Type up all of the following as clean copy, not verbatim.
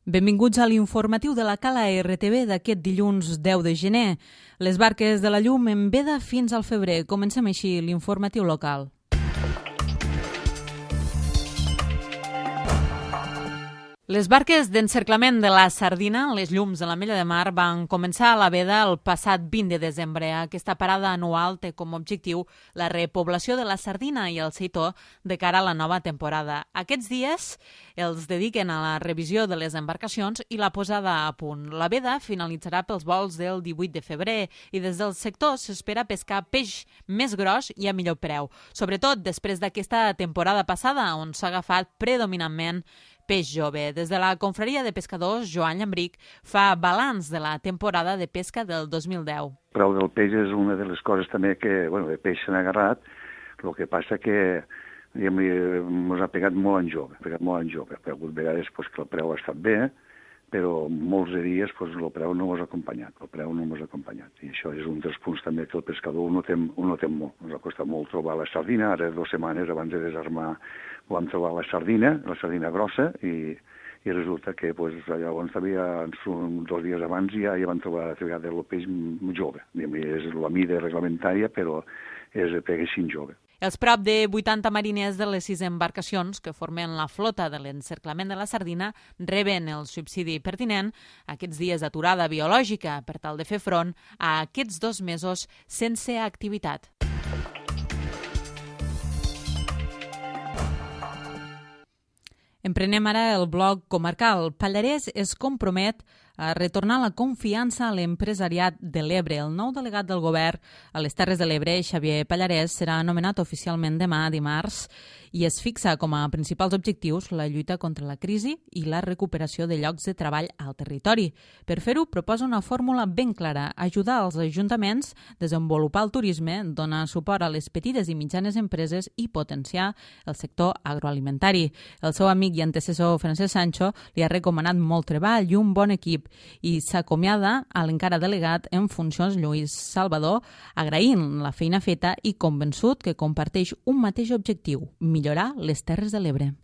Benvinguts a l'informatiu de la Cala RTV d'aquest dilluns 10 de gener. Les barques de la llum en veda fins al febrer. Comencem així l'informatiu local. Les barques d'encerclament de la sardina, les llums de l'Ametlla de Mar, van començar a la veda el passat 20 de desembre. Aquesta parada anual té com a objectiu la repoblació de la sardina i el seitó de cara a la nova temporada. Aquests dies els dediquen a la revisió de les embarcacions i la posada a punt. La veda finalitzarà pels vols del 18 de febrer i des del sector s'espera pescar peix més gros i a millor preu, sobretot després d'aquesta temporada passada on s'ha agafat predominantment peix jove. Des de la confraria de pescadors, Joan Llambric fa balanç de la temporada de pesca del 2010. El preu del peix és una de les coses també que, de peix s'han agarrat, el que passa que ens ha pegat molt en jove. Ha hagut vegades que el preu ha estat bé, però molts de dies el preu no ens ha acompanyat. I això és un dels punts també que el pescador ho notem molt. Ens ha costat molt trobar la sardina. Ara 2 setmanes abans de desarmar vam trobar la sardina grossa, i resulta que llavors 2 dies abans ja van trobar el peix jove. És la mida reglamentària, però és peguessin jove. Els prop de 80 mariners de les 6 embarcacions que formen la flota de l'encerclament de la sardina reben el subsidi pertinent aquests dies d'aturada biològica per tal de fer front a aquests 2 mesos sense activitat. Emprenem ara el bloc comarcal. Pallarès es compromet a retornar la confiança a l'empresariat de l'Ebre. El nou delegat del govern a les Terres de l'Ebre, Xavier Pallarès, serà nomenat oficialment demà, dimarts, i es fixa com a principals objectius la lluita contra la crisi i la recuperació de llocs de treball al territori. Per fer-ho, proposa una fórmula ben clara: ajudar els ajuntaments, desenvolupar el turisme, donar suport a les petites i mitjanes empreses i potenciar el sector agroalimentari. El seu amic i antecessor Francesc Sancho li ha recomanat molt treball i un bon equip, i s'acomiada a l'encara delegat en funcions Lluís Salvador, agraint la feina feta i convençut que comparteix un mateix objectiu: millorar les Terres de l'Ebre.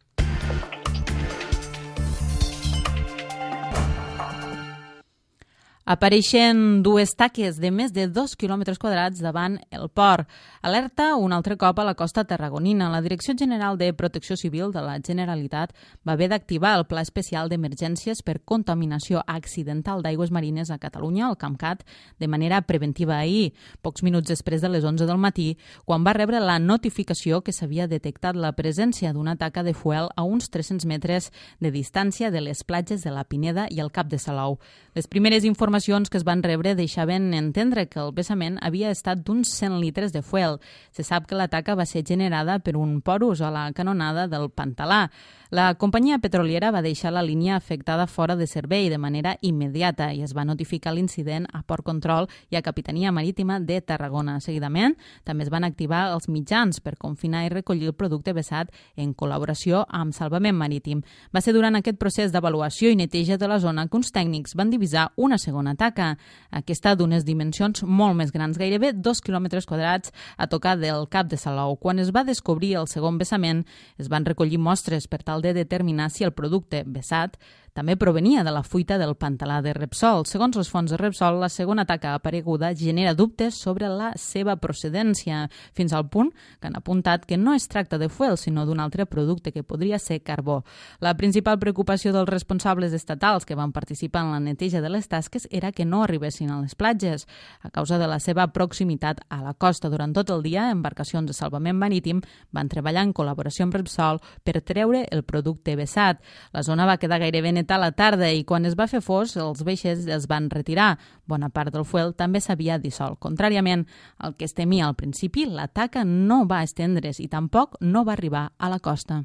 Apareixen 2 taques de més de 2 quilòmetres quadrats davant el port. Alerta un altre cop a la costa tarragonina. La Direcció General de Protecció Civil de la Generalitat va haver d'activar el Pla Especial d'Emergències per Contaminació Accidental d'Aigües Marines a Catalunya, el CAMCAT, de manera preventiva ahir, pocs minuts després de les 11 del matí, quan va rebre la notificació que s'havia detectat la presència d'una taca de fuel a uns 300 metres de distància de les platges de la Pineda i el Cap de Salou. Les primeres informacions que es van rebre deixaven entendre que el vessament havia estat d'uns 100 litres de fuel. Se sap que la taca va ser generada per un porus a la canonada del Pantalà. La companyia petroliera va deixar la línia afectada fora de servei de manera immediata i es va notificar l'incident a Port Control i a Capitania Marítima de Tarragona. Seguidament, també es van activar els mitjans per confinar i recollir el producte vessat en col·laboració amb Salvament Marítim. Va ser durant aquest procés d'avaluació i neteja de la zona que uns tècnics van divisar una segona taca, aquesta d'unes dimensions molt més grans, gairebé 2 quilòmetres quadrats a tocar del Cap de Salou. Quan es va descobrir el segon vessament, es van recollir mostres per tal de determinar si el producte vessat també provenia de la fuita del Pantalà de Repsol. Segons les fonts de Repsol, la segona taca apareguda genera dubtes sobre la seva procedència, fins al punt que han apuntat que no es tracta de fuel, sinó d'un altre producte que podria ser carbó. La principal preocupació dels responsables estatals que van participar en la neteja de les tasques era que no arribessin a les platges. A causa de la seva proximitat a la costa durant tot el dia, embarcacions de salvament marítim van treballar en col·laboració amb Repsol per treure el producte vessat. La zona va quedar gairebé a la tarda i quan es va fer fos, els vaixells es van retirar. Bona part del fuel també s'havia dissolt. Contràriament al que es temia al principi, la taca no va estendre's i tampoc no va arribar a la costa.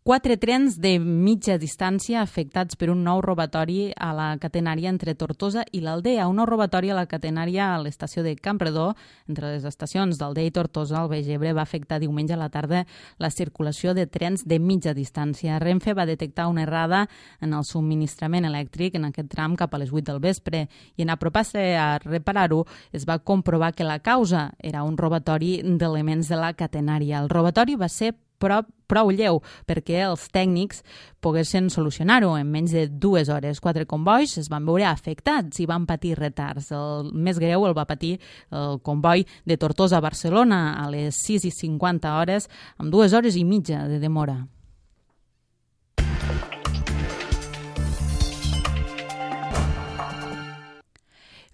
4 trens de mitja distància afectats per un nou robatori a la catenària entre Tortosa i l'Aldea. Un nou robatori a la catenària a l'estació de Campredó, entre les estacions d'Aldea i Tortosa, al Baix Ebre, va afectar diumenge a la tarda la circulació de trens de mitja distància. Renfe va detectar una errada en el subministrament elèctric en aquest tram cap a les 8 del vespre i en apropar-se a reparar-ho es va comprovar que la causa era un robatori d'elements de la catenària. El robatori va ser prou lleu perquè els tècnics poguessin solucionar-ho en menys de 2 hores. 4 combois es van veure afectats i van patir retards. El més greu el va patir el comboi de Tortosa a Barcelona a les 6:50 amb 2 hores i mitja de demora.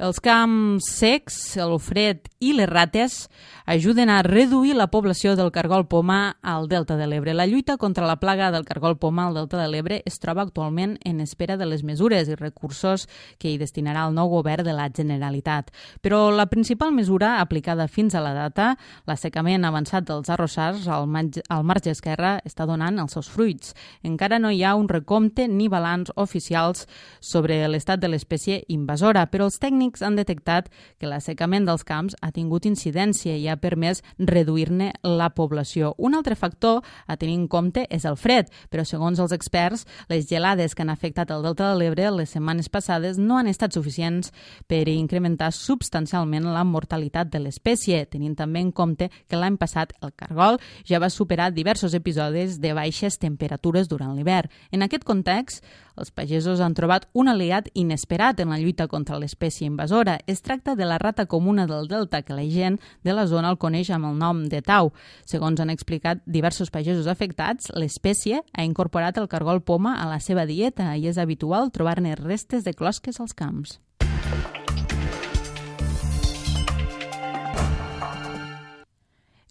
Els camps secs, el fred i les rates ajuden a reduir la població del cargol poma al Delta de l'Ebre. La lluita contra la plaga del cargol poma al Delta de l'Ebre es troba actualment en espera de les mesures i recursos que hi destinarà el nou govern de la Generalitat. Però la principal mesura aplicada fins a la data, l'assecament avançat dels arrossars al marge esquerre, està donant els seus fruits. Encara no hi ha un recompte ni balanç oficials sobre l'estat de l'espècie invasora, però els tècnics han detectat que l'assecament dels camps ha tingut incidència i ha permès reduir-ne la població. Un altre factor a tenir en compte és el fred, però segons els experts, les gelades que han afectat el Delta de l'Ebre les setmanes passades no han estat suficients per incrementar substancialment la mortalitat de l'espècie, tenint també en compte que l'any passat el cargol ja va superar diversos episodis de baixes temperatures durant l'hivern. En aquest context, els pagesos han trobat un aliat inesperat en la lluita contra l'espècie invasora. Es tracta de la rata comuna del Delta, que la gent de la zona el coneix amb el nom de tau. Segons han explicat diversos pagesos afectats, l'espècie ha incorporat el cargol poma a la seva dieta i és habitual trobar-ne restes de closques als camps.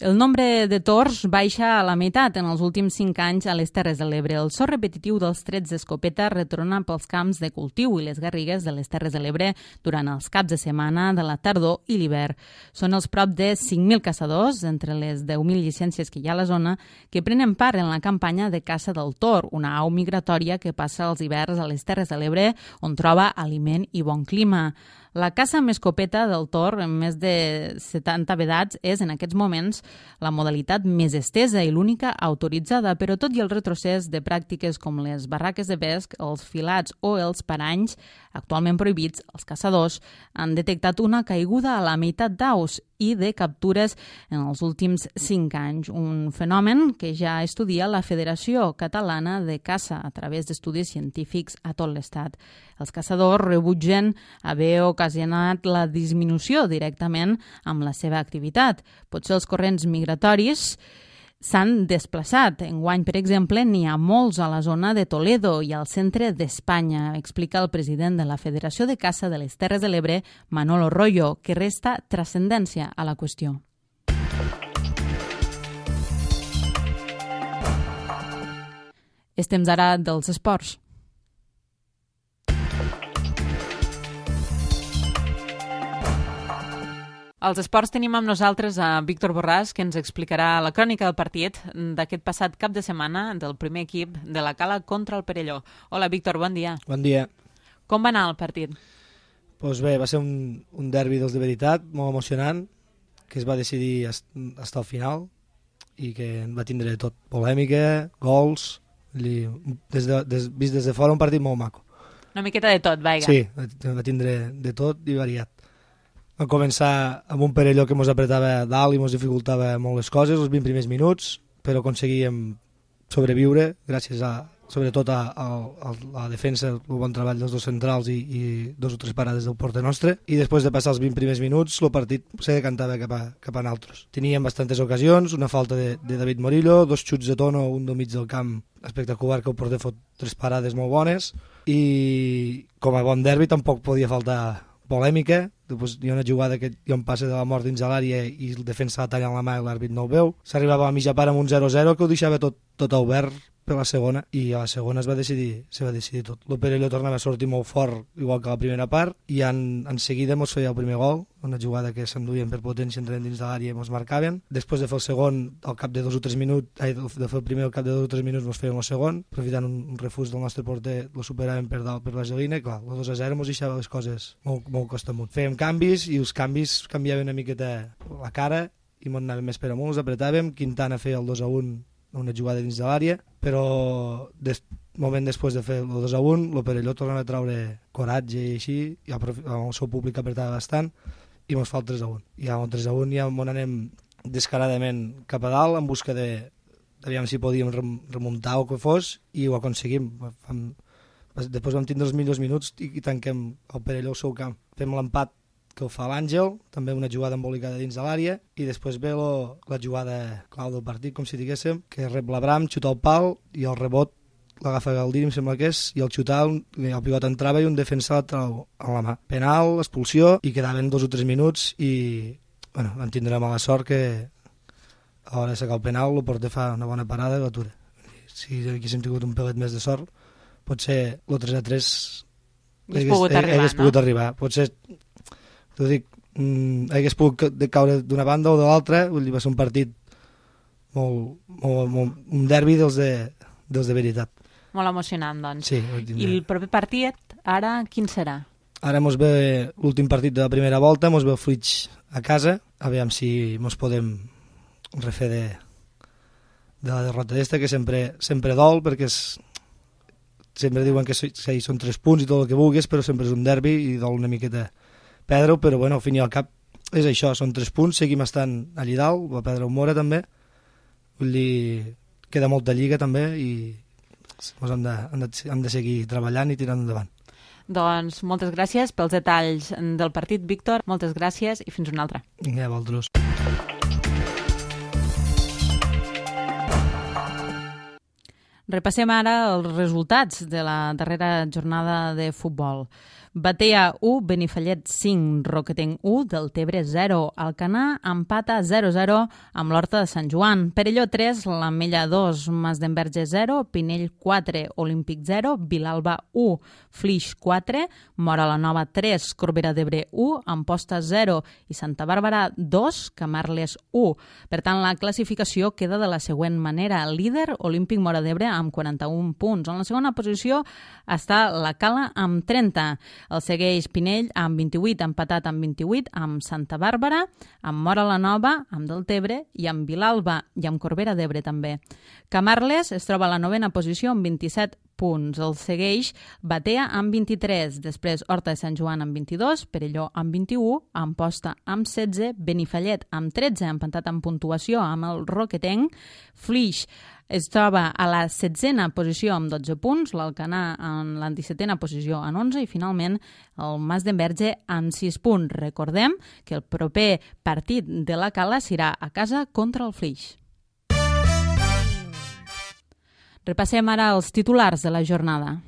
El nombre de tords baixa a la meitat en els últims 5 anys a les Terres de l'Ebre. El so repetitiu dels trets d'escopeta retorna pels camps de cultiu i les garrigues de les Terres de l'Ebre durant els caps de setmana de la tardor i l'hivern. Són els prop de 5.000 caçadors, entre les 10.000 llicències que hi ha a la zona, que prenen part en la campanya de caça del tor, una au migratòria que passa els hiverns a les Terres de l'Ebre, on troba aliment i bon clima. La caça amb escopeta del tor, en més de 70 vedats, és en aquests moments la modalitat més estesa i l'única autoritzada, però tot i el retrocés de pràctiques com les barraques de pesc, els filats o els paranys, actualment prohibits, els caçadors han detectat una caiguda a la meitat d'aus i de captures en els últims 5 anys, un fenomen que ja estudia la Federació Catalana de Caça a través d'estudis científics a tot l'estat. Els caçadors rebutgen haver ocasionat la disminució directament amb la seva activitat. Potser els corrents migratoris s'han desplaçat. Enguany, per exemple, n'hi ha molts a la zona de Toledo i al centre d'Espanya, explica el president de la Federació de Caça de les Terres de l'Ebre, Manolo Royo, que resta transcendència a la qüestió. És temps ara dels esports. Als esports tenim amb nosaltres a Víctor Borràs, que ens explicarà la crònica del partit d'aquest passat cap de setmana del primer equip de la Cala contra el Perelló. Hola, Víctor, bon dia. Bon dia. Com va anar el partit? Doncs bé, va ser un derbi dels de veritat, molt emocionant, que es va decidir fins al final i que va tindre tot, polèmica, gols, vist des de fora un partit molt maco. Una miqueta de tot, vaiga. Sí, va tindre de tot i variat. Vam començar amb un Perelló que ens apretava dalt i ens dificultava molt les coses, els 20 primers minuts, però aconseguíem sobreviure gràcies sobretot a la defensa, el bon treball dels dos centrals i 2 o 3 parades del porter nostre, i després de passar els 20 primers minuts el partit se decantava cap a nosaltres. Teníem bastantes ocasions, una falta de David Morillo, 2 xuts de Tono, un del mig del camp espectacular que el porter fot 3 parades molt bones, i com a bon derbi tampoc podia faltar polèmica. Després hi ha una jugada que hi ha un passe de la mort dins de l'àrea i el defensa la talla en la mà i l'àrbit no ho veu. S'arribava a la mitja part amb un 0-0 que ho deixava tot obert per la segona, i a la segona se va decidir tot. El Perelló tornava a sortir molt fort, igual que a la primera part, i en seguida ens feia el primer gol, una jugada que s'enduien per potència, entrant dins de l'àrea i ens marcaven. Després de fer el segon, al cap de 2 o 3 minuts, de fer el primer al cap de 2 o 3 minuts ens feien el segon, aprofitant un refús del nostre porter, lo superaven per dalt per la gelina, i clar, el 2-0 ens deixava les coses molt costa amunt. Fèiem canvis i els canvis canviaven una miqueta la cara i ens anàvem més per amunt, els apretàvem. Quintana feia el 2-1, una jugada dins de l'àrea, però moment després de fer el 2-1 el Perelló tornava a treure coratge i així, i el seu públic apretava bastant i ens fa el 3-1, i amb el 3-1 ja anem descaradament cap a dalt en busca de aviam si podíem remuntar o que fos, i ho aconseguim. Després vam tindre els millors minuts i tanquem el Perelló al seu camp. Fem l'empat que ho fa l'Àngel, també una jugada embolicada dins de l'àrea, i després ve la jugada clau del partit, com si diguéssim, que rep l'Abram, xuta al pal, i el rebot l'agafa Galdiri, em sembla que és, i el xutar, el pivot entrava i un defensa a la mà. Penal, expulsió, i quedaven 2 o 3 minuts, i bueno, vam tindre mala sort que a l'hora de sacar el penal el porter fa una bona parada i l'atura. Si haguéssim tingut un pelet més de sort, potser el 3-3 hagués pogut arribar. Potser, t'ho dic, hagués pogut caure d'una banda o de l'altra, vull dir, va ser un partit un derbi dels de veritat. Molt emocionant, doncs. Sí, i el proper partit, ara, quin serà? Ara mos ve l'últim partit de la primera volta, mos ve el Flix a casa, aviam si mos podem refer de la derrota d'esta, que sempre dol, perquè sempre diuen que són 3 punts i tot el que vulguis, però sempre és un derbi i dol una miqueta perdre-ho, però bueno, al fin i al cap és això, són 3 punts, seguim estant allí dalt, va perdre un Mora també, vull dir, queda molta lliga també i hem de seguir treballant i tirant endavant. Doncs moltes gràcies pels detalls del partit, Víctor, moltes gràcies i fins una altra. Vinga, vosaltres. Repassem ara els resultats de la darrera jornada de futbol. Batea 1, Benifallet 5, Roquetenc 1, Deltebre 0, Alcanar empata 0-0 amb l'Horta de Sant Joan, Perelló 3, l'Ametlla 2, Masdenverge 0, Pinell 4, Olímpic 0, Vilalba 1, Flix 4, Móra la Nova 3, Corbera d'Ebre 1, Amposta 0 i Santa Bàrbara 2, Camarles 1. Per tant, la classificació queda de la següent manera. Líder, Olímpic Móra d'Ebre amb 41 punts. En la segona posició està la Cala amb 30. El segueix Pinell amb 28, empatat amb 28, amb Santa Bàrbara, amb Móra la Nova, amb Deltebre i amb Vilalba i amb Corbera d'Ebre també. Camarles es troba a la 9a posició amb 27 punts. El segueix Batea amb 23, després Horta de Sant Joan amb 22, Perelló amb 21, Amposta amb 16, Benifallet amb 13, empatat amb puntuació amb el Roquetenc, Flix es troba a la 16a posició amb 12 punts, l'Alcanar en la 17a posició amb 11 i finalment el Masdenverge amb 6 punts. Recordem que el proper partit de la Cala serà a casa contra el Flix. Repassem ara els titulars de la jornada.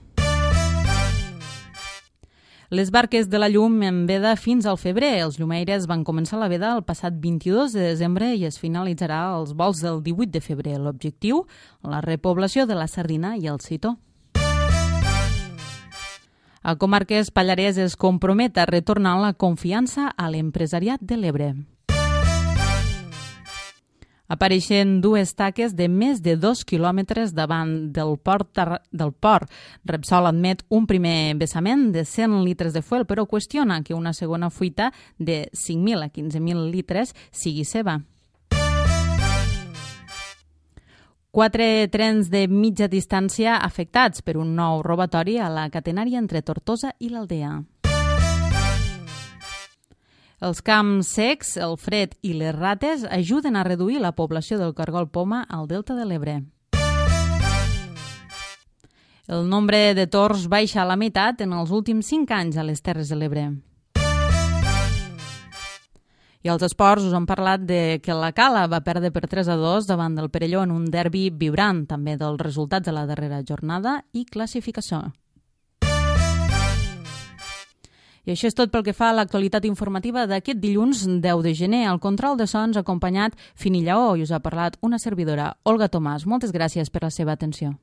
Les barques de la llum en veda fins al febrer. Els llumeires van començar la veda el passat 22 de desembre i es finalitzarà els vols del 18 de febrer. L'objectiu, la repoblació de la sardina i el citó. A Comarques Pallarès es compromet a retornar la confiança a l'empresariat de l'Ebre. Apareixen 2 taques de més de 2 quilòmetres davant del port. Repsol admet un primer vessament de 100 litres de fuel, però qüestiona que una segona fuita de 5.000 a 15.000 litres sigui seva. 4 trens de mitja distància afectats per un nou robatori a la catenària entre Tortosa i l'Aldea. Els camps secs, el fred i les rates ajuden a reduir la població del cargol poma al delta de l'Ebre. El nombre de tords baixa a la meitat en els últims 5 anys a les Terres de l'Ebre. I als esports us hem parlat de que la Cala va perdre per 3-2 davant del Perelló en un derbi vibrant, també dels resultats de la darrera jornada i classificació. I això és tot pel que fa a l'actualitat informativa d'aquest dilluns 10 de gener. Al control de sons acompanyat Fini Lleó i us ha parlat una servidora, Olga Tomàs. Moltes gràcies per la seva atenció.